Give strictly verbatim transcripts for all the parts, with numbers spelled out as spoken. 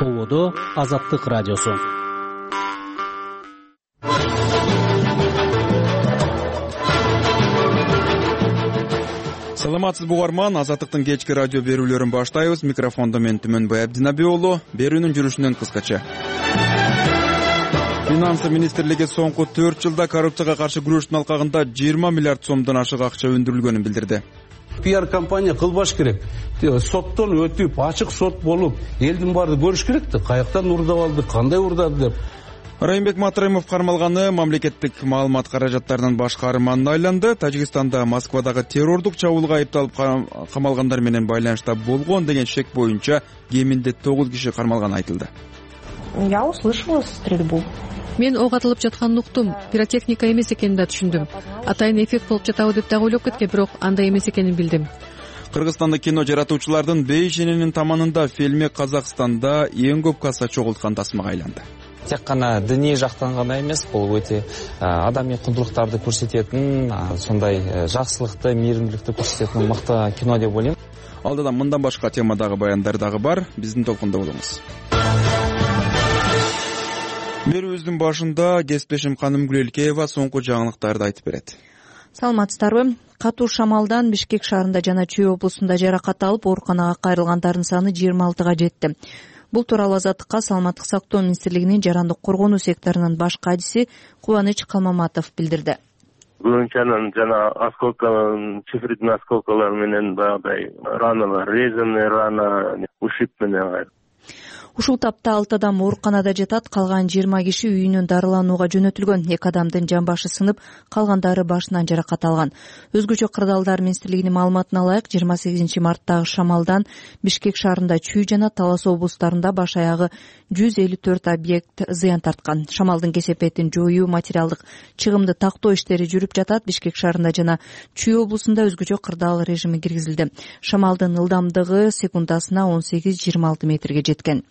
Ободо Азаттык радиосу. Саламатсызбы угарман, Азаттыктын кечки радио берүүлөрүн баштайбыз. Микрофондо мен Түмөнбай Абдинаби уулу. Берүүнүн жүрүшүнөн кыскача. Финансы министрлиги соңку төрт жылда коррупцияга каршы күрөштүн алкагында жыйырма миллиард сомдон ашык акча өндүрүлгөнүн билдирди. пиар компания кылбаш керек. Соттон өтүп, ачык сот болуп, элдин баары көрүш керек да, каяктан урдап алды, кандай урдады деп. Райымбек Матраимов кармалганы мамлекеттик маалымат каражаттарынын баш каарманына айланды. Тажикстанда Москвадагы террордук чабуулга айыпталып камалгандар менен байланышта болгон деген шек боюнча кеминде тогуз киши кармалганы айтылды. Я услышала стрельбу. Мен ок атылып жатканын уктум. Пиротехника эмес экенин да түшүндүм. Атайын эффект болуп жатабы деп дагы ойлоп кеткем, бирок андай эмес экенин билдим. Кыргызстанда кино жаратуучулардын бейишенинин таманында фильми Казакстанда эң көп касса чогулткан тасмага айланды. Тек гана диний жактан гана эмес, бул өтө адамий кундулуктарды көрсөтөтүн, сондай жакшылыкты, мейиримдүүлүктү көрсөтөтүн мыкты кино деп ойлойм. Алдыдан мындан башка темадагы баяндар дагы бар. Биздин толкунда болуңуз. Берүүбүздүн башында кесиптешим Ханым Гүлелкеева соңку жаңылыктарды айтып берет. Саламатсыздарбы? Катуу шамалдан Бишкек шаарында жана Чүй облусунда жаракат алып ооруканага кайрылгандардын саны жыйырма алтыга жетти. Бул тууралуу Азаттыкка Саламаттык сактоо министрлигинин жарандык коргонуу секторунун баш кадиси Кубаныч Калмаматов билдирди. Күйүнчанын жана осколкаларын, цифридин осколкалары менен баягыдай раналар, резанный рана, ушиб менен. Ушул тапта алты адам ооруканада жатат, калган жыйырма киши үйүнөн дарыланууга жөнөтүлгөн. Эки адамдын жамбашы сынып, калгандары башынан жаракат алган. Өзгөчө кырдаалдар министрлигинин маалыматына ылайык, жыйырма сегизинчи марттагы шамалдан Бишкек шаарында Чүй жана Талас облустарында баш аягы жүз элүү төрт объект зыян тарткан. Шамалдын кесепетин жоюу, материалдык чыгымды тактоо иштери жүрүп жатат. Бишкек шаарында жана Чүй облусунда өзгөчө кырдаал режими киргизилди. Шамалдын ылдамдыгы секундасына он сегиз жыйырма алты метрге жеткен.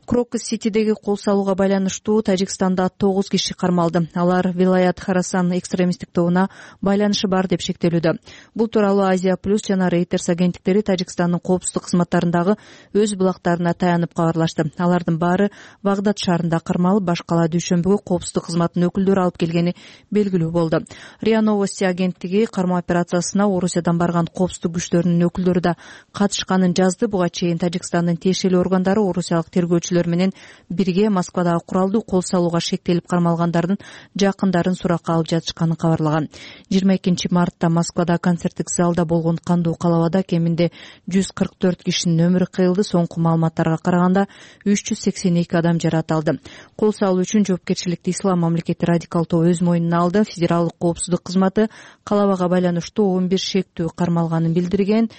Крокус-Ситидеги кол салууга байланыштуу Тажикстанда тогуз киши кармалды. Алар Вилаят Харасан экстремисттик тобуна байланышы бар деп шектелүүдө. Бул тууралуу Азия плюс жана Reuters агенттиктери Тажикстандын коопсуздук кызматтарындагы өз булактарына таянып кабарлашты. Алардын баары Багдад шаарында кармалып, башкала дүйшөмбүгү коопсуздук кызматынын өкүлдөрү алып келгени белгилүү болду. РИА Новости агенттиги кармоо операциясына Орусиядан барган коопсуздук күчтөрүнүн өкүлдөрү да катышканын жазды. Буга чейин Тажикстандын тиешелүү органдары орусиялык тергөөчү менен бирге Москвадагы куралдуу кол салууга шектелип кармалгандардын жакындарын суракка алып жатышканын кабарлаган. жыйырма экинчи мартта Москвада концерттик залда болгон кандуу калабада кеминде жүз кырк төрт кишинин өмүрү кыйылды. Соңку маалыматтарга караганда үч жүз сексен эки адам жаракат алды. Кол салуу үчүн жоопкерчиликти Ислам мамлекети радикал тобу өз мойнуна алды. Федералдык коопсуздук кызматы калабага байланыштуу он бир шектүү кармалганын билдирген.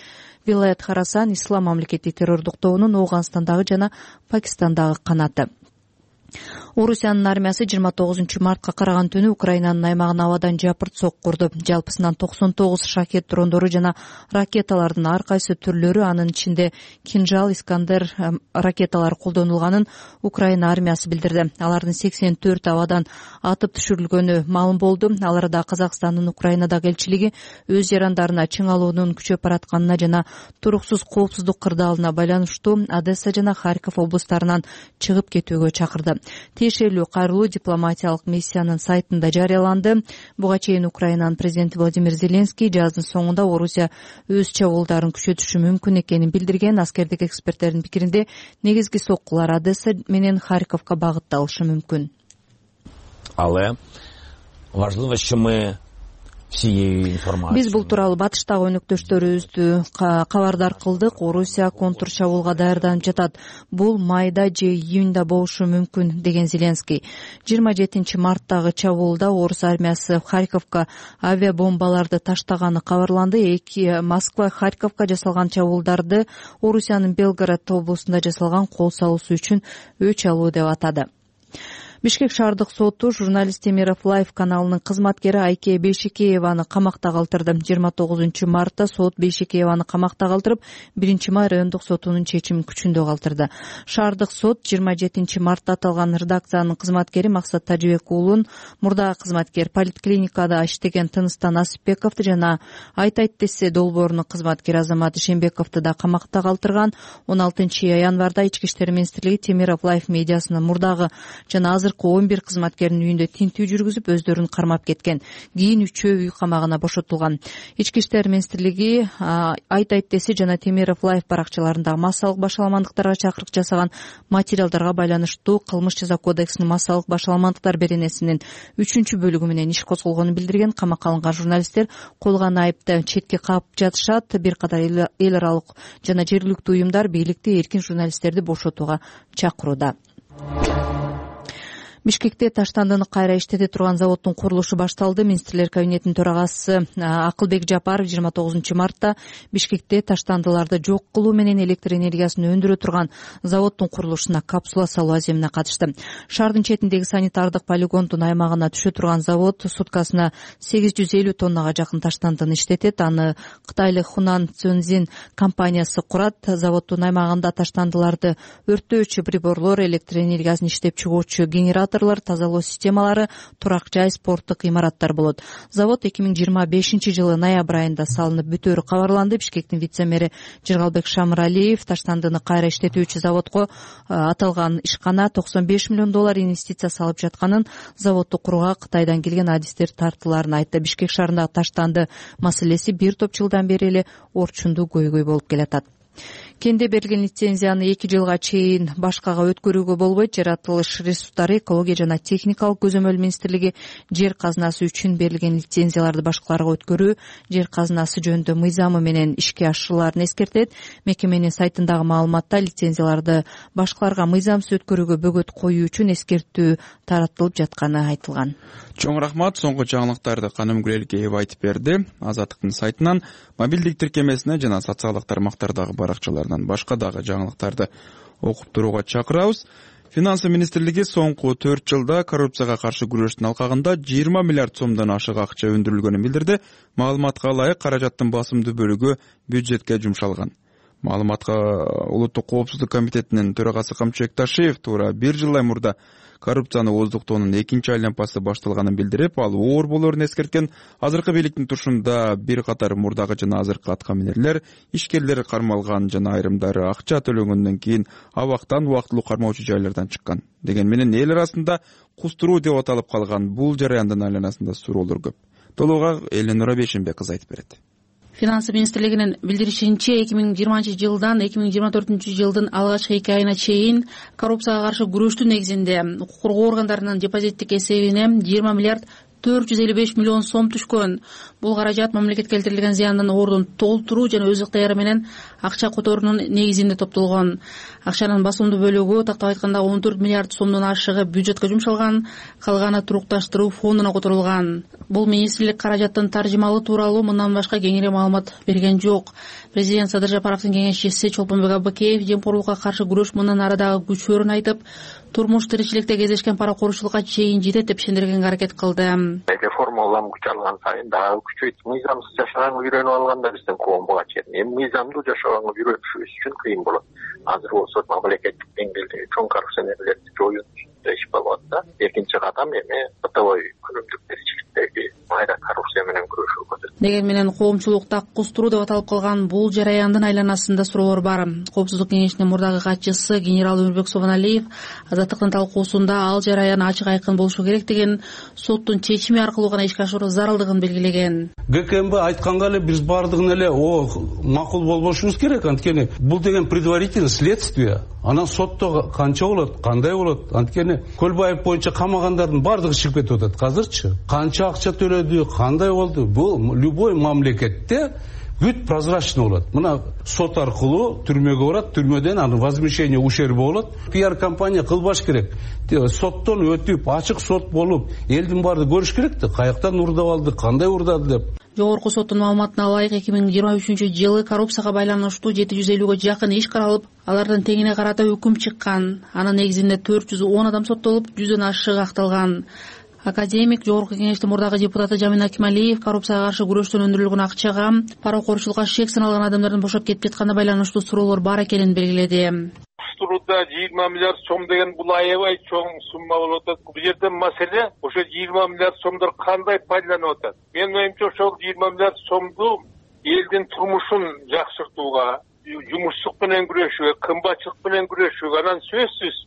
Вилаят Харасан Ислам мамлекети террордук тобунун Ооганстандагы жана Пакистандагы канаты. Орусиянын армиясы жыйырма тогузунчу мартка караган түнү Украинанын аймагына абадан жапырт сок курду. Жалпысынан токсон тогуз шахет дрондору жана ракеталардын ар кайсы түрлөрү, анын ичинде Кинжал, Искандер ракеталары колдонулганын Украина армиясы билдирди. Алардын сексен төрт абадан атып түшүрүлгөнү маалым болду. Ал арада Казакстандын Украинадагы элчилиги өз жарандарына чың алуунун күчөп баратканына жана туруксуз коопсуздук кырдаалына байланыштуу Одесса жана Харьков облустарынан чыгып кетүүгө чакырды. Тиешелүү кайрылуу дипломатиялык миссиянын сайтында жарыяланды. Буга чейин Украинанын президенти Владимир Зеленский жаздын соңунда Орусия өз чабуулдарын күчөтүшү мүмкүн экенин билдирген. Аскердик эксперттердин пикиринде негизги соккулар Одесса менен Харьковго багытталышы мүмкүн. Але важливо, що ми Биз бул тууралуу батыштагы өнөктөштөрүбүздү кабардар кылдык. Орусия контур чабуулга даярданып жатат. Бул майда же июнда болушу мүмкүн, деген Зеленский. жыйырма жетинчи марттагы чабуулда орус армиясы Харьковго авиабомбаларды таштаганы кабарланды. Эки Москва Харьковго жасалган чабуулдарды Орусиянын Белгород облусунда жасалган кол салуусу үчүн өч алуу деп атады. Бишкек шаардык соту журналист Темиров Лайф каналынын кызматкери Айке Бейшекееваны камакта калтырды. жыйырма тогузунчу мартта сот Бейшекееваны камакта калтырып, биринчи май райондук сотунун чечимин күчүндө калтырды. Шаардык сот жыйырма жетинчи мартта аталган редакциянын кызматкери Максат Тажибек уулун, мурдагы кызматкер поликлиникада иштеген Тыныстан Насипбековду жана Айтайт десе долбоорунун кызматкери Азамат Ишенбековду да камакта калтырган. он алтынчы январда Ички иштер министрлиги Темиров Лайф медиасынын мурдагы жана азыркы он бир кызматкердин үйүндө тинтүү жүргүзүп, өздөрүн кармап кеткен. Кийин үчөө үй камагына бошотулган. Ички иштер министрлиги Айтайт десе жана Темиров Лайф баракчаларындагы массалык башаламандыктарга чакырык жасаган материалдарга байланыштуу Кылмыш жаза кодексинин массалык башаламандыктар беренесинин үчүнчү бөлүгү менен иш козголгонун билдирген. Камакка алынган журналисттер койгон айыпты четке каап жатышат. Бир катар эл аралык жана жергиликтүү уюмдар бийликти эркин журналисттерди бошотууга чакырууда. Бишкекте таштандыны кайра иштете турган заводдун курулушу башталды. Министрлер кабинетинин төрагасы Акылбек Жапаров жыйырма тогузунчу мартта Бишкекте таштандыларды жок кылуу менен электр энергиясын өндүрө турган заводдун курулушуна капсула салуу аземине катышты. Шаардын четиндеги санитардык полигондун аймагына түшө турган завод суткасына сегиз жүз элүү тоннага жакын таштандыны иштетет. Аны кытайлык Хунан Цзюнзин компаниясы курат. Заводдун аймагында таштандыларды өрттөөчү приборлор, электр энергиясын иштеп чыгуучу генератор, тазалоо системалары, турак жай, спорттук имараттар болот. Завод эки миң жыйырма бешинчи жылы ноябрь айында салынып бүтөөрү кабарланды. Бишкектин вице-мэри Жыргалбек Шамыралиев таштандыны кайра иштетүүчү заводко аталган ишкана токсон беш миллион доллар инвестиция салып жатканын, заводду курууга Кытайдан келген адистер тартыларын айтты. Бишкек шаарындагы таштанды маселеси бир топ жылдан бери эле орчундуу көйгөй болуп келатат. Кенде берилген лицензияны эки жылга чейин башкага өткөрүүгө болбойт. Жаратылыш ресурстары, экология жана техникалык көзөмөл министрлиги жер казынасы үчүн берилген лицензияларды башкаларга өткөрүү жер казынасы жөнүндө мыйзамы менен ишке ашырылаарын эскертет. Мекеменин сайтындагы маалыматта лицензияларды башкаларга мыйзамсыз өткөрүүгө бөгөт коюу үчүн эскертүү таратылып жатканы айтылган. Чоң рахмат. Соңку жаңылыктарды Канымгүл Элкеева айтып берди. Азаттыктын сайтынан, мобилдик тиркемесине жана социалдык тармактардагы баракчаларынан башка дагы жаңылыктарды окуп турууга чакырабыз. Финансы министрлиги соңку төрт жылда коррупцияга каршы күрөштүн алкагында жыйырма миллиард сомдон ашык акча өндүрүлгөнүн билдирди. Маалыматка ылайык каражаттын басымдуу бөлүгү бюджетке жумшалган. Маалыматка Улуттук коопсуздук комитетинин төрагасы Камчыбек Ташиев туура бир жылдай мурда коррупцияны ооздуктоонун экинчи айлампасы башталганын билдирип, ал оор болоорун эскерткен. Азыркы бийликтин тушунда бир катар мурдагы жана азыркы аткаминерлер, ишкерлер кармалган жана айрымдары акча төлөнгөндөн кийин абактан убактылуу кармоочу жайлардан чыккан. Деген менен эл арасында кустуруу деп аталып калган бул жараяндын айланасында суроолор көп. Толугу Эленора Бешенбек кыз айтып берет. Финансы министрлигинин билдиришинче, эки миң жыйырманчы жылдан эки миң жыйырма төртүнчү жылдын алгачкы эки айына чейин коррупцияга каршы күрөштүн негизинде укук коргоо органдарынын депозиттик эсебине жыйырма миллиард төрт жүз элүү беш миллион сом түшкөн. Бул каражат мамлекетке келтирилген зыяндын ордун толтуруу жана өз ыктыяры менен акча которуунун негизинде топтолгон. Акчанын басымдуу бөлүгү, тактап айтканда, он төрт миллиард сомдон ашыгы бюджетке жумшалган, калганы турукташтыруу фондуна которулган. Бул министрлик каражаттын таржымалы тууралуу мындан башка кеңири маалымат берген жок. Президент Садыр Жапаровдун кеңешчиси Чолпонбек Аббакеев жемкорлукка каршы күрөш мындан ары дагы күчөөрүн айтып, турмуш тиричиликте кездешкен паракорчулукка чейин жетет деп ишендиргенге аракет кылды. Реформа улам күч алган сайын дагы күчөйт. Мыйзамсыз жашаганга үйрөнүп алганда биздин коомго чейин эми мыйзамдуу жашаганга үйрөтүшүбүз үчүн кыйын болот. Азыр болсо мамлекеттик деңгээлде чоң коррупционерлерди жоюу үчүн иш болот да. Экинчи кадам эми бытовой күнүмдүк тиричиликтеги майра коррупция менен күрөшүү болот. Деген менен коомчулукта кустуруу деп аталып калган бул жараяндын айланасында суроолор бар. Коопсуздук кеңешинин мурдагы катчысы генерал Өмүрбек Собоналиев азаттыктын талкуусунда ал жараян ачык айкын болушу керек деген, соттун чечими аркылуу гана ишке ашыруу зарылдыгын белгилеген. ГКМБ айтканга эле биз баардыгын эле о макул болбошубуз керек. Анткени бул деген предварительный следствие. Анан сотто канча болот, кандай болот? Анткени Көлбаев боюнча камагандардын баардыгы чыгып кетип атат азырчы. Канча акча төлөдү, кандай болду? Бул любой мамлекетте бүт прозрачный болот. Мына сот аркылуу түрмөгө барат, түрмөдөн аны возмещение ущерба болот. Пиар компания кылбаш керек. Соттон өтүп, ачык сот болуп, элдин баары көрүш керек да, каяктан урдап алды, кандай урдады деп. Жогорку соттун маалыматына ылайык эки миң жыйырма үчүнчү жылы коррупцияга байланыштуу жети жүз элүүгө жакын иш каралып, алардын теңине карата өкүм чыккан. Анын негизинде төрт жүз он адам соттолуп, жүздөн ашыгы акталган. Академик, Жогорку кеңештин мурдагы депутаты Жамин Акималиев коррупцияга каршы күрөштөн өндүрүлгөн акчага, паракорчулукка шек саналган адамдардын бошоп кетип жатканына байланыштуу суроолор бар экенин белгиледи. Куштурууда жыйырма миллиард сом деген бул аябай чоң сумма болуп атат. Бул жерде маселе ошо жыйырма миллиард сомдор кандай пайдаланып атат? Менин оюмча ошол жыйырма миллиард сомду элдин турмушун жакшыртууга, жумушсуздук менен күрөшүүгө, кымбатчылык менен күрөшүүгө, анан сөзсүз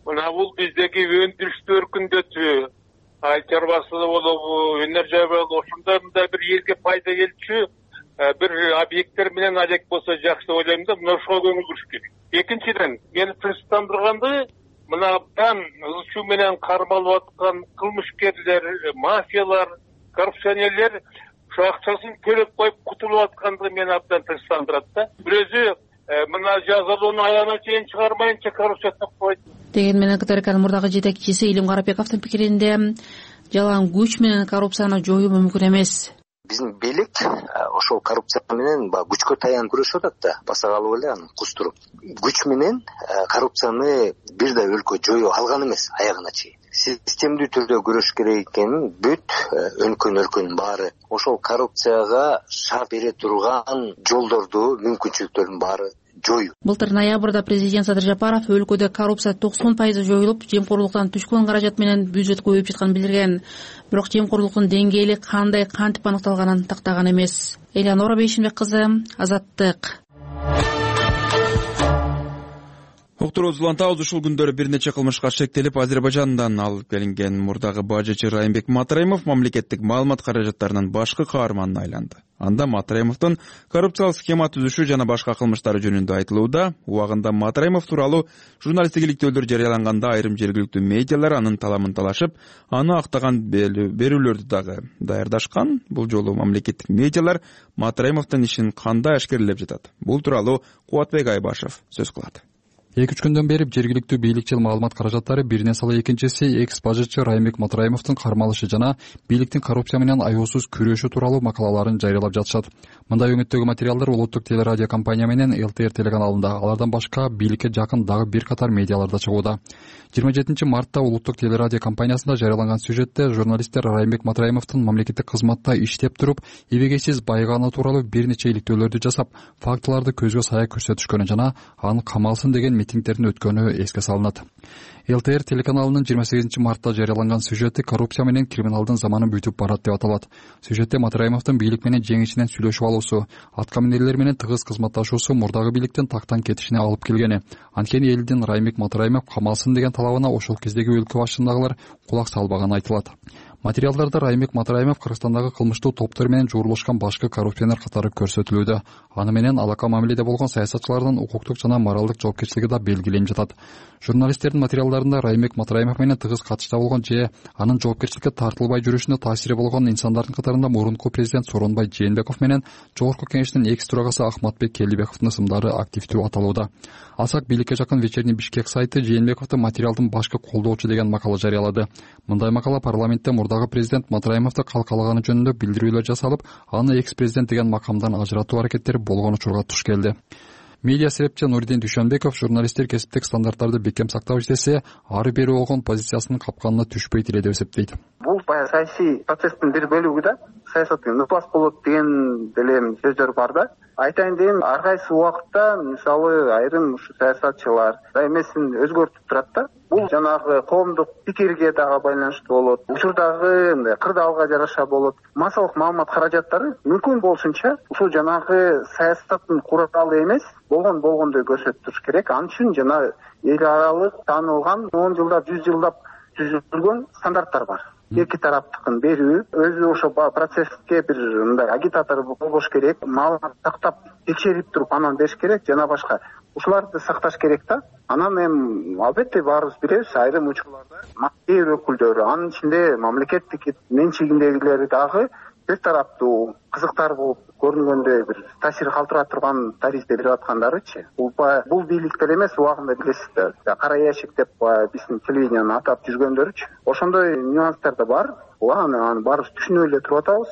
мына бул биздеги өндүрүштү өркүндөтүү, ай чарбасылык болобу, өнөр жай болобу, ошондой мындай бир элге пайда келчү бир объекттер менен алек болсо жакшы деп ойлойм да, мына ошого көңүл буруш керек. Экинчиден, мени принциптандырганды мына абдан ызчуу менен кармалып аткан кылмышкерлер, мафиялар, коррупционерлер ошо акчасын төлөп коюп кутулуп атканды мени абдан принциптандырат да. Бирөөсү мына жазалоону аягына чейин чыгармайынча коррупция токпойт деген менен КТРКнын мурдагы жетекчиси Илим Карапековдун пикиринде жалаң күч менен коррупцияны жоюу мүмкүн эмес. Биздин бийлик ошол коррупция менен баягы күчкө таянып күрөшүп атат да, баса калып эле аны кустуруп. Күч менен коррупцияны бир да өлкө жою алган эмес аягына чейин. Системдүү түрдө күрөш керек экенин бүт өлкөнүн өлкөнүн баары ошол коррупцияга шарт бере турган жолдорду, мүмкүнчүлүктөрдүн баары жою. Былтыр ноябрда президент Садыр Жапаров өлкөдө коррупция токсон пайыз жоюлуп, жемкорлуктан түшкөн каражат менен бюджет көбөйүп жатканын билдирген. Бирок жемкорлуктун деңгээли кандай кантип аныкталганын тактаган эмес. Элеонора Бейшенбек кызы, Азаттык. Уктуруусулантабыз ушул күндөрү бир нече кылмышка шектелип, Азербайжандан алып келинген мурдагы бажычы Райымбек Матраимов мамлекеттик маалымат каражаттарынын башкы каарманына айланды. Анда Матраимовдун коррупциялык схема түзүшү жана башка кылмыштары жөнүндө айтылууда. Убагында Матраимов тууралуу журналисттик иликтөөлөр жарыяланганда айрым жергиликтүү медиалар анын таламын талашып, аны актаган берүүлөрдү дагы даярдашкан. Бул жолу мамлекеттик медиалар Матраимовдун ишин кандай ашкерлеп жатат? Бул тууралуу Кубатбек Айбашев сөз кылат. эки үч күндөн бери жергиликтүү бийликчил маалымат каражаттары биринен сала экинчиси экс бажычы Райымбек Матраимовдун кармалышы жана бийликтин коррупция менен аюусуз күрөшү тууралуу макалаларын жарыялап жатышат. Мындай өңүттөгү материалдар улуттук телерадио компания менен эл тэ эр телеканалында, алардан башка бийликке жакын дагы бир катар медиаларда чыгууда. жыйырма жетинчи мартта улуттук телерадио компаниясында жарыяланган сюжетте журналисттер Райымбек Матраимовдун мамлекеттик кызматта иштеп туруп, эбегейсиз байганы тууралуу бир нече иликтөөлөрдү жасап, фактыларды көзгө сая көрсөтүшкөнү жана аны камалсын деген митингдердин өткөнү эске салынат. эл тэ эр телеканалынын жыйырма сегизинчи мартта жарыяланган сюжети коррупция менен криминалдын заманы бүтүп барат деп аталат. Сюжетте Матраимовдун бийлик менен жең ичинен сүйлөшүп алуусу, аткаминерлер менен тыгыз кызматташуусу мурдагы бийликтин тактан кетишине алып келгени. Анткени элдин Райымбек Матраимов камалсын деген талабына ошол кездеги өлкө башындагылар кулак салбаганы айтылат. Материалдарда Райымбек Матраимов Кыргызстандагы кылмыштуу топтор менен жуурулушкан башкы коррупционер катары көрсөтүлүүдө. Аны менен алака мамиледе болгон саясатчылардын укуктук жана моралдык жоопкерчилиги да белгиленип жатат. Журналисттердин материалдарында Райымбек Матраимов менен тыгыз катышта болгон же анын жоопкерчиликке тартылбай жүрүшүнө таасири болгон инсандардын катарында мурунку президент Сооронбай Жээнбеков менен Жогорку кеңештин экс төрагасы Ахматбек Келдибековдун ысымдары активдүү аталууда. Алсак бийликке жакын Вечерний Бишкек сайты Жээнбековду материалдын башкы колдоочу деген макала жарыялады. Мындай макала парламентте мурдагы президент Матраимовду калкалаганы жөнүндө билдирүүлөр жасалып, аны экс президент деген макамдан ажыратуу аракеттери болгон учурга туш келди. Медиа серепчи Нуридин Дүйшөнбеков журналисттер кесиптик стандарттарды бекем сактап иштесе, ары бери болгон позициясынын капканына түшпөйт эле деп эсептейт. Бул баягы саясий процесстин бир бөлүгү да, саясат ныпас болот деген деле сөздөр бар да. Айтайын дейм, ар кайсы убакытта мисалы айрым ушу саясатчылар эмесин өзгөртүп турат да. Бул жанагы коомдук пикирге дагы байланыштуу болот. Учурдагы мындай кырдаалга жараша болот. Массалык маалымат каражаттары мүмкүн болушунча ушул жанагы саясаттын куралы эмес, болгон болгондой көрсөтүш керек. Ал үчүн жана эл аралык таанылган он жылдап, жүз жылдап түзүлгөн стандарттар бар. Эки тараптыкын берүү, өзү ошо процесске бир мындай агитатор болбош керек, маалымат сактап, текшерип туруп анан бериш керек, жана башка. Ушуларды сакташ керек да. Анан эми албетте баарыбыз билебиз, айрым учурларда мафия өкүлдөрү, анын ичинде мамлекеттик менчигиндегилери дагы бир тараптуу кызыктар болуп көрүнгөндөй бир таасир калтыра турган тарифти берип аткандарычы бул бул бийликтер эмес, убагында билесиз да, кара ящик деп биздин телевидениени атап жүргөндөрүчү ошондой нюанстар да бар. Аны баарыбыз түшүнүп эле туруп атабыз.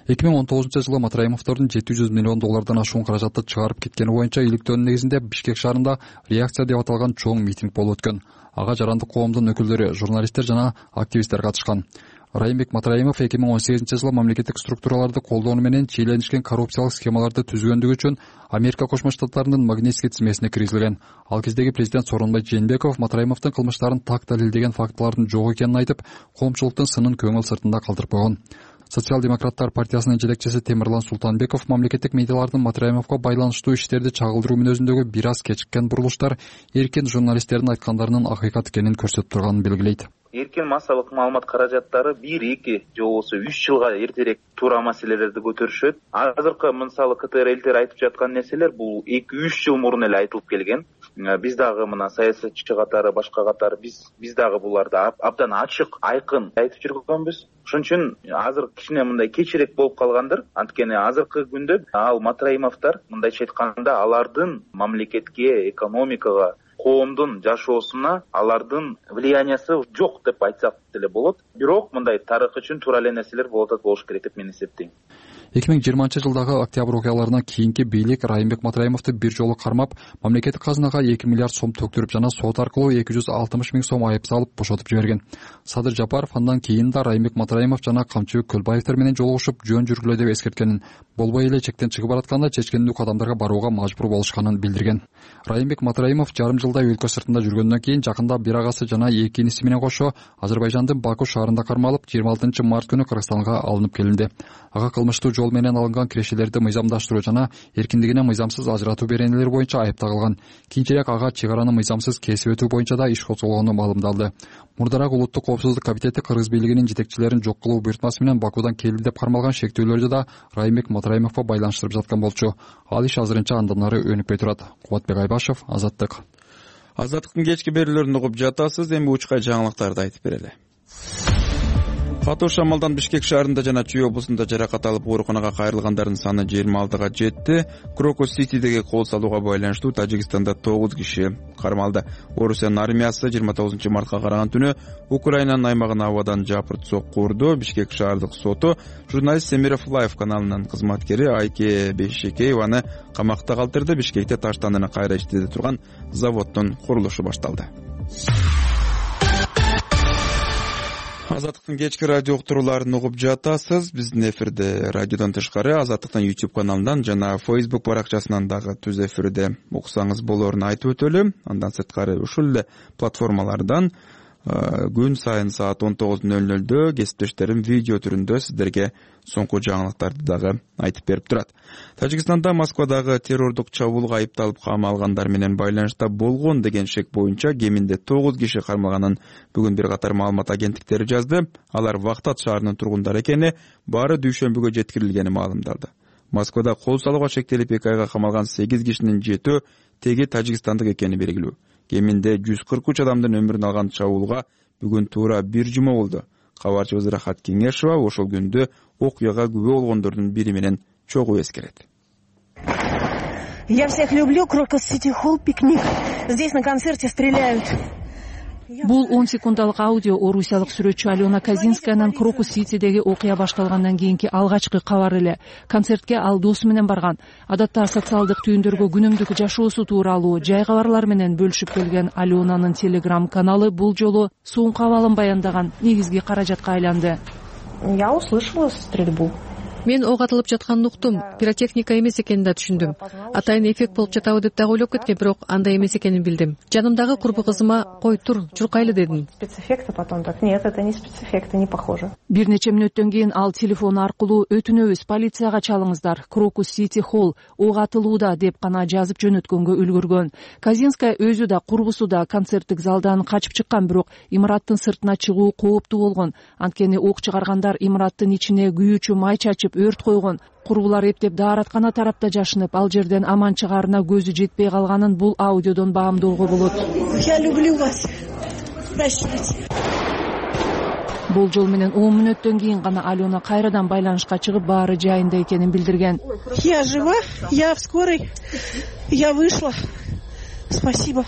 эки миң он тогузунчу жылы Матраимовдордун жети жүз миллион доллардан ашуун каражатты чыгарып кеткени боюнча иликтөөнүн негизинде Бишкек шаарында реакция деп аталган чоң митинг болуп өткөн. Ага жарандык коомдун өкүлдөрү, журналисттер жана активисттер катышкан. Райымбек Матраимов эки миң он сегизинчи жылы мамлекеттик структураларды колдонуу менен чиеленишкен коррупциялык схемаларды түзгөндүгү үчүн Америка Кошмо Штаттарынын Магнитский тизмесине киргизилген. Ал кездеги президент Сооронбай Жээнбеков Матраимовдун кылмыштарын так далилдеген фактылардын жок экенин айтып, коомчулуктун сынын көңүл сыртында калтырып койгон. Социал-демократтар партиясынын жетекчиси Темирлан Султанбеков мамлекеттик медиалардын Матраимовго байланыштуу иштерди чагылдыруу мүнөзүндөгү бир аз кечиккен бурулуштар эркин журналисттердин айткандарынын акыйкат экенин көрсөтүп турганын белгилейт. Эркин массалык маалымат каражаттары бир эки же болбосо үч жылга эртерээк туура маселелерди көтөрүшөт. Азыркы мисалы КТР элдер айтып жаткан нерселер бул эки үч жыл мурун эле айтылып келген. Биз дагы мына саясатчы катары, башка катары биз биз дагы буларды абдан ачык, айкын айтып жүргөнбүз. Ошон үчүн азыр кичине мындай кечирээк болуп калгандыр. Анткени азыркы күндө ал Матраимовдор мындайча айтканда алардын мамлекетке, экономикага, коомдун жашоосуна алардын влияниясы жок деп айтсак деле болот. Бирок мындай тарых үчүн туура эле нерселер болот болуш керек деп мен эсептейм. эки миң жыйырманчы жылдагы октябрь окуяларынан кийинки бийлик Райымбек Матраимовду бир жолу кармап, мамлекеттик казынага эки миллиард сом төктүрүп жана сот аркылуу эки жүз алтымыш миң сом айып салып бошотуп жиберген. Садыр Жапаров андан кийин да Райымбек Матраимов жана Камчыбек Көлбаевдер менен жолугушуп жөн жүргүлө деп эскерткенин, болбой эле чектен чыгып баратканда чечкендүү кадамдарга барууга мажбур болушканын билдирген. Райымбек Матраимов жарым жылдай өлкө сыртында жүргөндөн кийин жакында бир агасы жана эки иниси менен кошо Азербайжандын Баку шаарында кармалып, жыйырма алтынчы март күнү Кыргызстанга алынып келинди. Ага кылмыштуу жол менен алынган кирешелерди мыйзамдаштыруу жана эркиндигине мыйзамсыз ажыратуу беренелери боюнча айып тагылган. Кийинчерээк ага чек араны мыйзамсыз кесип өтүү боюнча да иш козголгону маалымдалды. Мурдараак Улуттук коопсуздук комитети Кыргыз бийлигинин жетекчилерин жок кылуу буйртмасы менен Бакудан келди деп кармалган шектүүлөрдү да Райымбек Матраимовго байланыштырып жаткан болчу. Ал иш азырынча андан ары өнүкпөй турат. Кубатбек Айбашев, Азаттык. Азаттыктын кечки берүүлөрүн угуп жатасыз. Эми учкай жаңылыктарды айтып берели. Катуу шамалдан Бишкек шаарында жана Чүй облусунда жаракат алып ооруканага кайрылгандардын саны жыйырма алтыга жетти. Крокус Ситидеги кол салууга байланыштуу Тажикстанда тогуз киши кармалды. Орусиянын армиясы жыйырма тогузунчу мартка караган түнү Украинанын аймагына абадан жапырт сокку урду. Бишкек шаардык соту журналист Семиров Лайв каналынын кызматкери Айке Бейшекееваны камакта калтырды. Бишкекте таштандыны кайра иштете турган заводдун курулушу башталды. Азаттыктын кечки радио уктурууларын угуп жатасыз. Биздин эфирде радиодон тышкары Азаттыктын YouTube каналынан жана Facebook баракчасынан дагы түз эфирде уксаңыз болоорун айтып өтөлү. Андан сырткары ушул эле платформалардан күн сайын саат он тогуз ноль нолдо кесиптештерим видео түрүндө сиздерге соңку жаңылыктарды дагы айтып берип турат. Тажикстанда Москвадагы террордук чабуулга айыпталып камалгандар менен байланышта болгон деген шек боюнча кеминде тогуз киши кармалганын бүгүн бир катар маалымат агенттиктери жазды. Алар Вахтат шаарынын тургундары экени, баары дүйшөмбүгө жеткирилгени маалымдалды. Москвада кол салууга шектелип эки айга камалган сегиз кишинин жетөө теги тажикстандык экени белгилүү. Кеминде жүз кырк үч адамдын өмүрүн алган чабуулга бүгүн туура бир жума болду. Кабарчыбыз Рахат Кеңешова ошол күндө окуяга күбө болгондордун бири менен чогуу эскерет. Я всех люблю, Крокус Сити Холл, пикник. Здесь на концерте стреляют. Бул он секундалык аудио орусиялык сүрөтчү Алена Казинскаянын Крокус Ситидеги окуя башталгандан кийинки алгачкы кабар эле. Концертке ал досу менен барган. Адатта социалдык түйүндөргө күнүмдүк жашоосу тууралуу жай кабарлар менен бөлүшүп келген Аленанын телеграм каналы бул жолу соңку абалын баяндаган негизги каражатка айланды. Я услышала стрельбу. Мен ок атылып жатканын уктум. Пиротехника эмес экенин да түшүндүм. Атайын эффект болуп жатабы деп дагы ойлоп кеткем, бирок андай эмес экенин билдим. Жанымдагы курбу кызыма "Кой тур, чуркайлы" дедим. Спецэффекты потом так. Нет, это не спецэффекты, не похоже. Бир нече мүнөттөн кийин ал телефон аркылуу "Өтүнөбүз, полицияга чалыңыздар. Крокус Сити Холл ок атылууда" деп гана жазып жөнөткөнгө үлгүргөн. Казинская өзү да, курбусу да концерттик залдан качып чыккан, бирок имараттын сыртына чыгуу кооптуу болгон. Анткени ок чыгаргандар имараттын ичине күйүүчү май чачып өрт койгон. Курбулар эптеп даараткана тарапта жашынып, ал жерден аман чыгаарына көзү жетпей калганын бул аудиодон баамдоого болот. Я люблю вас. Прощайте. Болжол менен он мүнөттөн кийин гана Алена кайрадан байланышка чыгып, баары жайында экенин билдирген. Я жива, я в скорой, я вышла. Спасибо.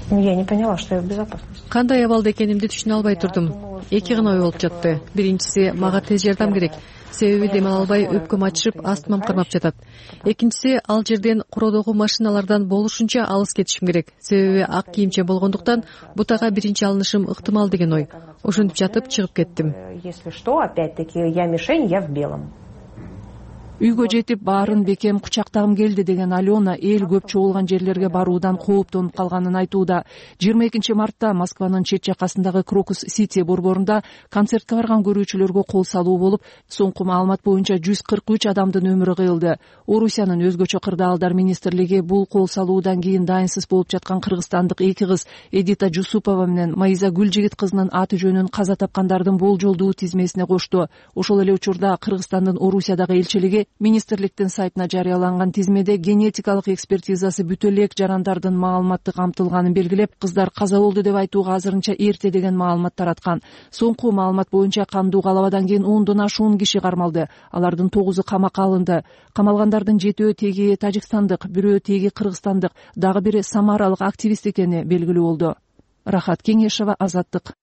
Я не поняла, что я в безопасности. Кандай абалда экенимди түшүнө албай турдум. Эки гана ой болуп жатты. Биринчиси, мага тез жардам керек. Себеби дем ала албай өпкөм ачышып, астымам кармап жатат. Экинчиси, ал жерден куродогу машиналардан болушунча алыс кетишим керек. Себеби ак кийимче болгондуктан бутага биринчи алынышым ыктымал деген ой. Ошентип жатып чыгып кеттим. Если что, опять-таки, я мишень, я в белом. Үйгө жетип баарын бекем кучактагым келди деген Алена эл көп чогулган жерлерге баруудан кооптонуп калганын айтууда. жыйырма экинчи мартта Москванын чет жакасындагы Крокус-Сити борборунда концертке барган көрүүчүлөргө кол салуу болуп, соңку маалымат боюнча жүз кырк үч адамдын өмүрү кыйылды. Орусиянын өзгөчө кырдаалдар министрлиги бул кол салуудан кийин дайынсыз болуп жаткан кыргызстандык эки кыз Эдита Жусупова менен Майза Гүлжигит кызынын аты жөнүн каза тапкандардын болжолдуу тизмесине кошту. Ошол эле учурда Кыргызстандын Орусиядагы элчилиги министрликтин сайтына жарыяланган тизмеде генетикалык экспертизасы бүтө элек жарандардын маалыматы камтылганын белгилеп, кыздар каза болду деп айтууга азырынча эрте деген маалымат тараткан. Соңку маалымат боюнча кандуу калабадан кийин ондон ашуун киши кармалды. Алардын тогузу камакка алынды. Камалгандардын жетөө теги тажикстандык, бирөө теги кыргызстандык, дагы бири самаралык активист экени белгилүү болду. Рахат Кеңешова, Азаттык.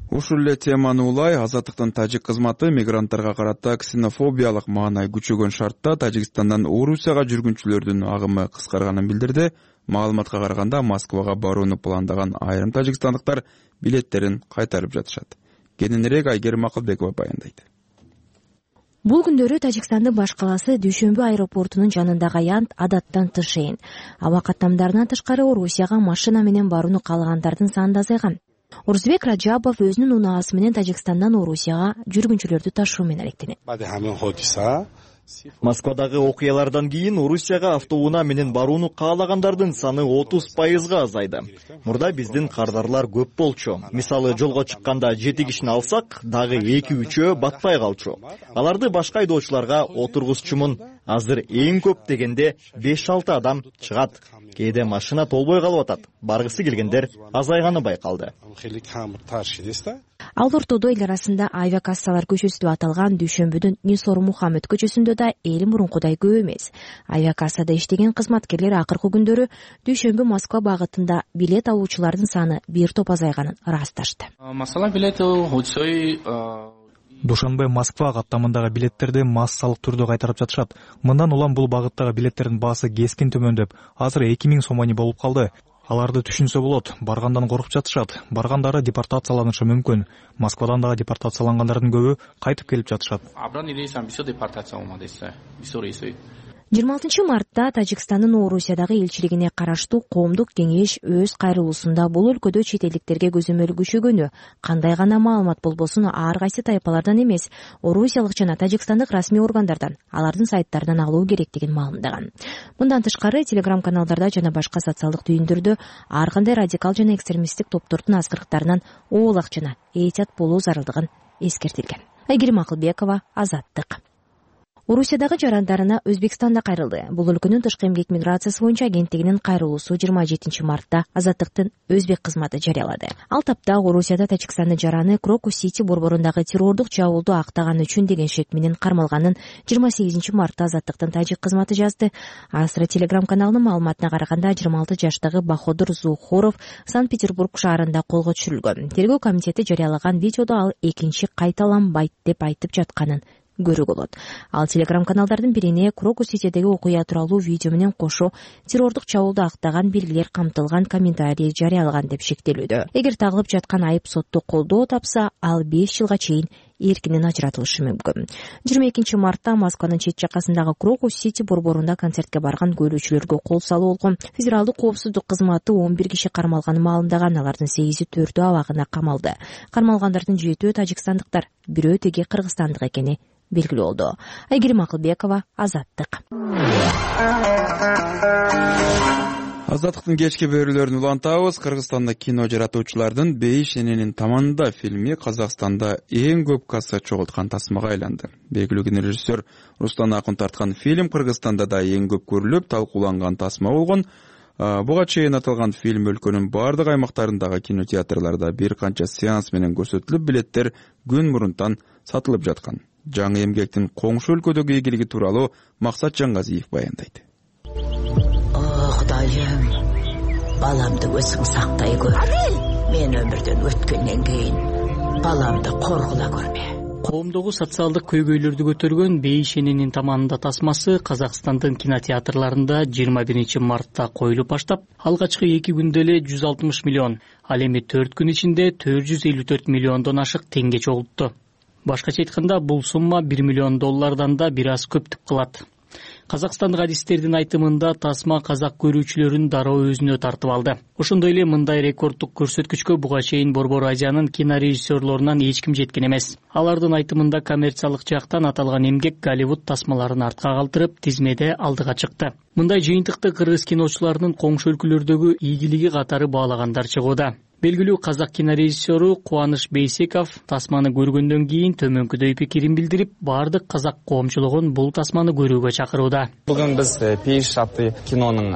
Ушул эле теманы улай Азаттыктын тажик кызматы мигранттарга карата ксенофобиялык маанай күчөгөн шартта Тажикстандан Орусияга жүргүнчүлөрдүн агымы кыскарганын билдирди. Маалыматка караганда Москвага барууну пландаган айрым тажикстандыктар билеттерин кайтарып жатышат. Кененирээк Айгерим Акылбекова баяндайт. Бул күндөрү Тажикстандын баш калаасы Дүйшөмбү аэропортунун жанындагы аянт адаттан тышейин. Аба каттамдарынан тышкары Орусияга машина менен барууну каалагандардын саны да азайган. Урзбек Раджабов өзүнүн унаасы менен Тажикстандан Орусияга жүргүнчүлөрдү ташуу менен алектенет. Москвадагы окуялардан кийин Орусияга автоунаа менен барууну каалагандардын саны отуз пайызга азайды. Мурда биздин кардарлар көп болчу. Мисалы, жолго чыкканда жети кишини алсак, дагы эки үчөө батпай калчу. Аларды башка айдоочуларга отургузчумун. Азыр эң көп дегенде беш алты адам чыгат. Кээде машина толбой калып атат. Баргысы келгендер азайганы байкалды. Ал ортодо эл арасында авиакассалар көчөсү деп аталган Дүйшөмбүдүн Нисор Мухаммед көчөсүндө да эл мурункудай көп эмес. Авиакассада иштеген кызматкерлер акыркы күндөрү Дүйшөмбү Москва багытында билет алуучулардын саны бир топ азайганын ырасташты. Душанбе Москва каттамындагы билеттерди массалык түрдө кайтарып жатышат. Мындан улам бул багыттагы билеттердин баасы кескин төмөндөп, азыр эки миң сом болуп калды. Аларды түшүнсө болот, баргандан коркуп жатышат. Баргандары депортацияланышы мүмкүн. Москвадан дагы депортациялангандардын көбү кайтып келип жатышат. жыйырма алтынчы мартта Тажикстандын Орусиядагы элчилигине караштуу коомдук кеңеш өз кайрылуусунда бул өлкөдө чет элдиктерге көзөмөл күчөгөнү, кандай гана маалымат болбосун ар кайсы тайпалардан эмес, орусиялык жана тажикстандык расмий органдардан, алардын сайттарынан алуу керектигин маалымдаган. Мындан тышкары телеграм-каналдарда жана башка социалдык түйүндөрдө ар кандай радикал жана экстремисттик топтордун азгырыктарынан оолак жана этият болуу зарылдыгын эскертилген. Айгерим Акылбекова, Азаттык. Орусиядагы жарандарына Өзбекстан да кайрылды. Бул өлкөнүн тышкы эмгек миграциясы боюнча агенттигинин кайрылуусу жыйырма жетинчи мартта Азаттыктын Өзбек кызматы жарыялады. Ал тапта Орусияда Тажикстандын жараны Крокус-Сити борборундагы террордук чабуулду актаган үчүн деген шек менен кармалганын жыйырма сегизинчи мартта Азаттыктын тажик кызматы жазды. Асра телеграм-каналынын маалыматына караганда жыйырма алты жаштагы Баходур Зухоров Санкт-Петербург шаарында колго түшүрүлгөн. Тергөө комитети жарыялаган видеодо ал экинчи кайталанбайт деп айтып жатканын көрүү болот. Ал телеграм-каналдардын бирине Крокус-Ситидеги окуя тууралуу видео менен кошо террордук чабуулду актаган белгилер камтылган комментарий жарыялаган деп шектелүүдө. Эгер тагылып жаткан айып сотто колдоо тапса, ал беш жылга чейин эркинен ажыратылышы мүмкүн. жыйырма экинчи мартта Москванын чет жакасындагы Крокус-Сити борборунда концертке барган көрүүчүлөргө кол салуу болгон. Федералдык коопсуздук кызматы он бир киши кармалганын маалымдаган, алардын сегизи төртөө абагына камалды. Кармалгандардын жетөө тажикстандыктар, бирөө теги кыргызстандык экени белгилүү болду. Айгерим Акылбекова, Азаттык. Азаттыктын кечки берүүлөрүн улантабыз. Кыргызстанда кино жаратуучулардын Бейиш эненин таманында фильми Казакстанда эң көп касса чогулткан тасмага айланды. Белгилүү кинорежиссер Рустан Акун тарткан фильм Кыргызстанда да эң көп көрүлүп, талкууланган тасма болгон. Буга чейин аталган фильм өлкөнүн бардык аймактарындагы кинотеатрларда бир канча сеанс менен көрсөтүлүп, билеттер күн мурунтан сатылып жаткан. Жаңы эмгектин коңшу өлкөдөгү ийгилиги тууралуу Максат Жаңгазиев баяндайт. О, Кудайым, баламды өзүң сактай көр. Мен өмүрдөн өткөндөн кийин баламды коргула көрмө. Коомдогу социалдык көйгөйлөрдү көтөргөн Бейшененин таманында тасмасы Казакстандын кинотеатрларында жыйырма биринчи мартта коюлуп баштап, алгачкы эки күндө эле жүз алтымыш миллион, ал эми төрт күн ичинде төрт жүз элүү төрт миллиондон ашык теңге чогултту. Башкача айтканда, бул сумма бир миллион доллардан да бир аз көптүк кылат. Казакстандык адистердин айтымында тасма казак көрүүчүлөрүн дароо өзүнө тартып алды. Ошондой эле мындай рекорддук көрсөткүчкө буга чейин Борбор Азиянын кинорежиссерлорунан эч ким жеткен эмес. Алардын айтымында коммерциялык жактан аталган эмгек Голливуд тасмаларын артка калтырып, тизмеде алдыга чыкты. Мындай жыйынтыкты кыргыз киночуларынын коңшу өлкөлөрдөгү ийгилиги катары баалагандар чыгууда. Белгилүү казак кинорежиссеру Кубаныч Бейсеков тасманы көргөндөн кийин төмөнкүдөй пикирин билдирип, бардык казак коомчулугун бул тасманы көрүүгө чакырууда. Бүгүн биз Пейш аттуу кинонун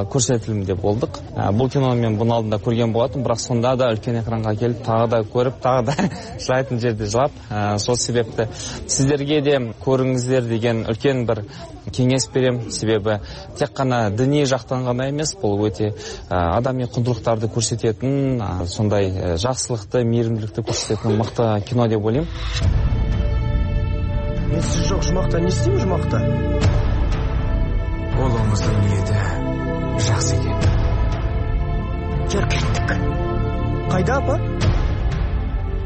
көрсөтүлүмүндө болдук. Бул кинону мен мунун алдында көргөн болотум, бирок сонда да үлкен экранга келип, тагы да көрүп, тагы да жылайтын жерде жылап, сол себепти сиздерге де көрүңүздөр деген үлкен бир кеңес берем. Себеби тек гана диний жактан гана эмес, бул өтө адамий кундулуктарды көрсөтөтүн, сондай жакшылыкты, мейиримдүүлүктү көрсөтөтүн мыкты кино деп ойлойм. Мен сиз жок жумакта не истейм жумакта? Олоңуздун ниети жакшы экен. Жүр кеттик. Кайда, апа?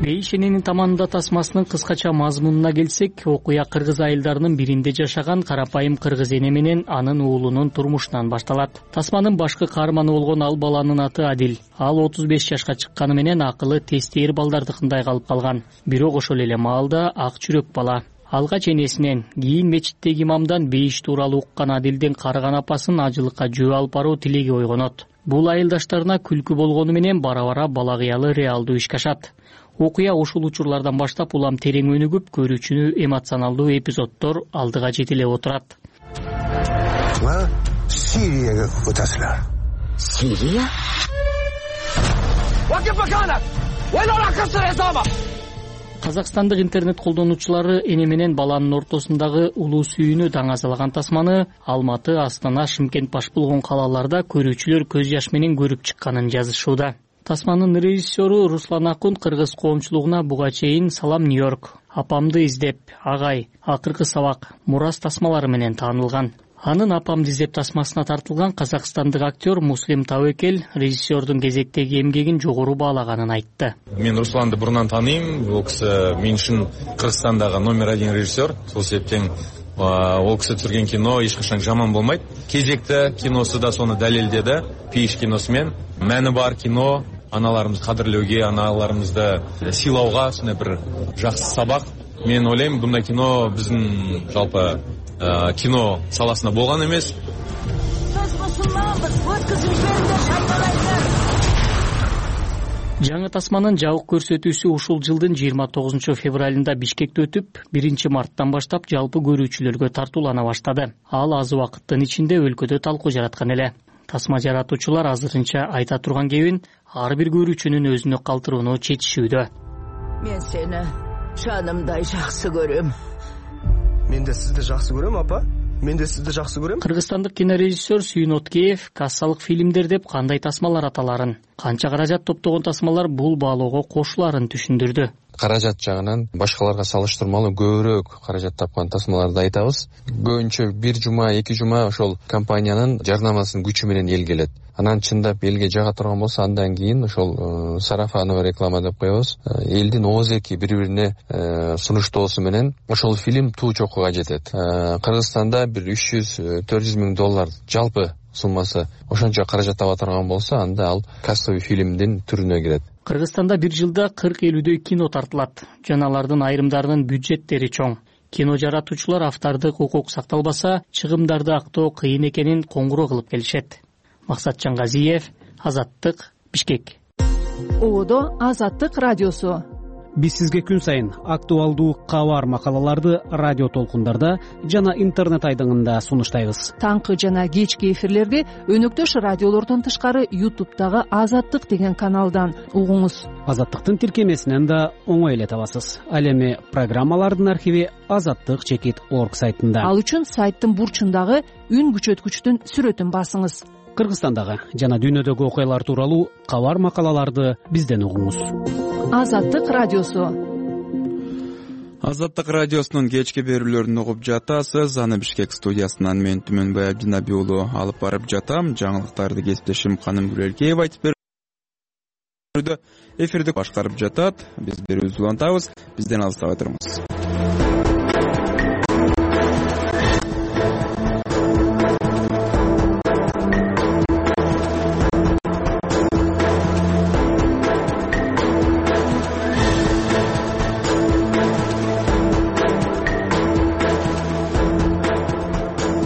Бейшененин таманында тасмасынын кыскача мазмунуна келсек, окуя кыргыз айылдарынын биринде жашаган карапайым кыргыз эне менен анын уулунун турмушунан башталат. Тасманын башкы каарманы болгон ал баланын аты Адил. Ал отуз беш жашка чыкканы менен акылы тестейир балдардыкындай калып калган. Бирок ошол эле маалда ак жүрөк бала. Алгач энесинен, кийин мечиттеги имамдан бейиш тууралуу уккан Адилдин карыган апасын ажылыкка жөө алып баруу тилеги ойгонот. Бул айылдаштарына күлкү болгону менен бара-бара бала кыялы реалдуу ишке ашат. Окуя ушул учурлардан баштап улам терең өнүгүп, көрүүчүнү эмоционалдуу эпизоддор алдыга жетелеп отурат. Сирияга өтөсүлөр. Сирия? Казакстандык интернет колдонуучулары эне менен баланын ортосундагы улуу сүйүүнү даңазалаган тасманы Алматы, Астана, Шымкент баш болгон калаларда көрүүчүлөр көз жаш менен көрүп чыкканын жазышууда. Тасманын режиссеру Руслан Акун кыргыз коомчулугуна буга чейин Салам Нью-Йорк, Апамды издеп, Агай, Акыркы сабак, Мурас тасмалары менен таанылган. Анын Апамды издеп тасмасына тартылган казакстандык актер Муслим Табекел режиссердун кезектеги эмгегин жогору баалаганын айтты. Мен Русланды бурунан тааныйм. Ол киши мен үчүн Кыргызстандагы номер один режиссер. Сол себептен ол киши түсүргөн кино эч качан жаман болмойт. Кезекте киносу да сону далилдеди. Пейш киносу менен мәни бар кино, аналарымызды кадырлоого, аналарымызды сыйлауга сондай бир жакшы сабак. Мен ойлойм, мындай кино биздин жалпы кино саласында болгон эмес. Жаңы тасманын жабык көрсөтүүсү ушул жылдын жыйырма тогузунчу февралында Бишкекте өтүп, биринчи марттан баштап жалпы көрүүчүлөргө тартуулана баштады. Ал аз убакыттын ичинде өлкөдө талкуу жараткан эле. Тасма жаратуучулар азырынча айта турган кебин ар бир көрүүчүнүн өзүнө калтырууну чечишүүдө. Мен сени жанымдай жакшы көрөм. Мен де сизди жакшы көрөм, апа. Мен де сизди жакшы көрөм. Кыргызстандык кинорежиссер Сүйүн Откеев кассалык фильмдер деп кандай тасмалар аталарын, канча каражат топтогон тасмалар бул баалоого кошуларын түшүндүрдү. Каражат жагынан башкаларга салыштырмалуу көбүрөөк каражат тапкан тасмаларды айтабыз. Көбүнчө бир жума, эки жума ошол компаниянын жарнамасынын күчү менен эл келет. Анан чындап элге жага турган болсо, андан кийин ошол сарафановый реклама деп коебуз. Элдин оозеки бири-бирине сунуштоосу менен ошол фильм туу чокуга жетет. Кыргызстанда бир үч жүз төрт жүз миң доллар жалпы суммасы ошончо каражат таба турган болсо, анда ал кассовый фильмдин түрүнө кирет. Кыргызстанда бир жылда кырк элүүдөй кино тартылат. Жана алардын айрымдарынын бюджеттери чоң. Кино жаратуучулар автордук укук сакталбаса, чыгымдарды актоо кыйын экенин коңгуроо кылып келишет. Максат Жаңгазиев, Азаттык, Бишкек. Одо Азаттык радиосу. биз сизге күн сайын актуалдуу кабар макалаларды радио толкундарда жана интернет айдыңында сунуштайбыз. Таңкы жана кечки эфирлерди өнөктөш радиолордон тышкары ютубтагы Азаттык деген каналдан угуңуз. Азаттыктын тиркемесинен да оңой эле табасыз. Ал эми программалардын архиви азаттык чекит орг сайтында. Ал үчүн сайттын бурчундагы үн күчөткүчтүн сүрөтүн басыңыз. Кыргызстандагы жана дүйнөдөгү окуялар тууралуу кабар макалаларды бизден угуңуз. Азаттык радиосу. Азаттык радиосунун кечки берүүлөрүн угуп жатасыз. Аны Бишкек студиясынан мен Түмөнбай Абдинабий уулу алып барып жатам. Жаңылыктарды кесиптешим Каным Гүлелкеева айтып берүүдө. Эфирди башкарып жатат. Биз берүүбүздү улантабыз. Бизден алыстабай туруңуз.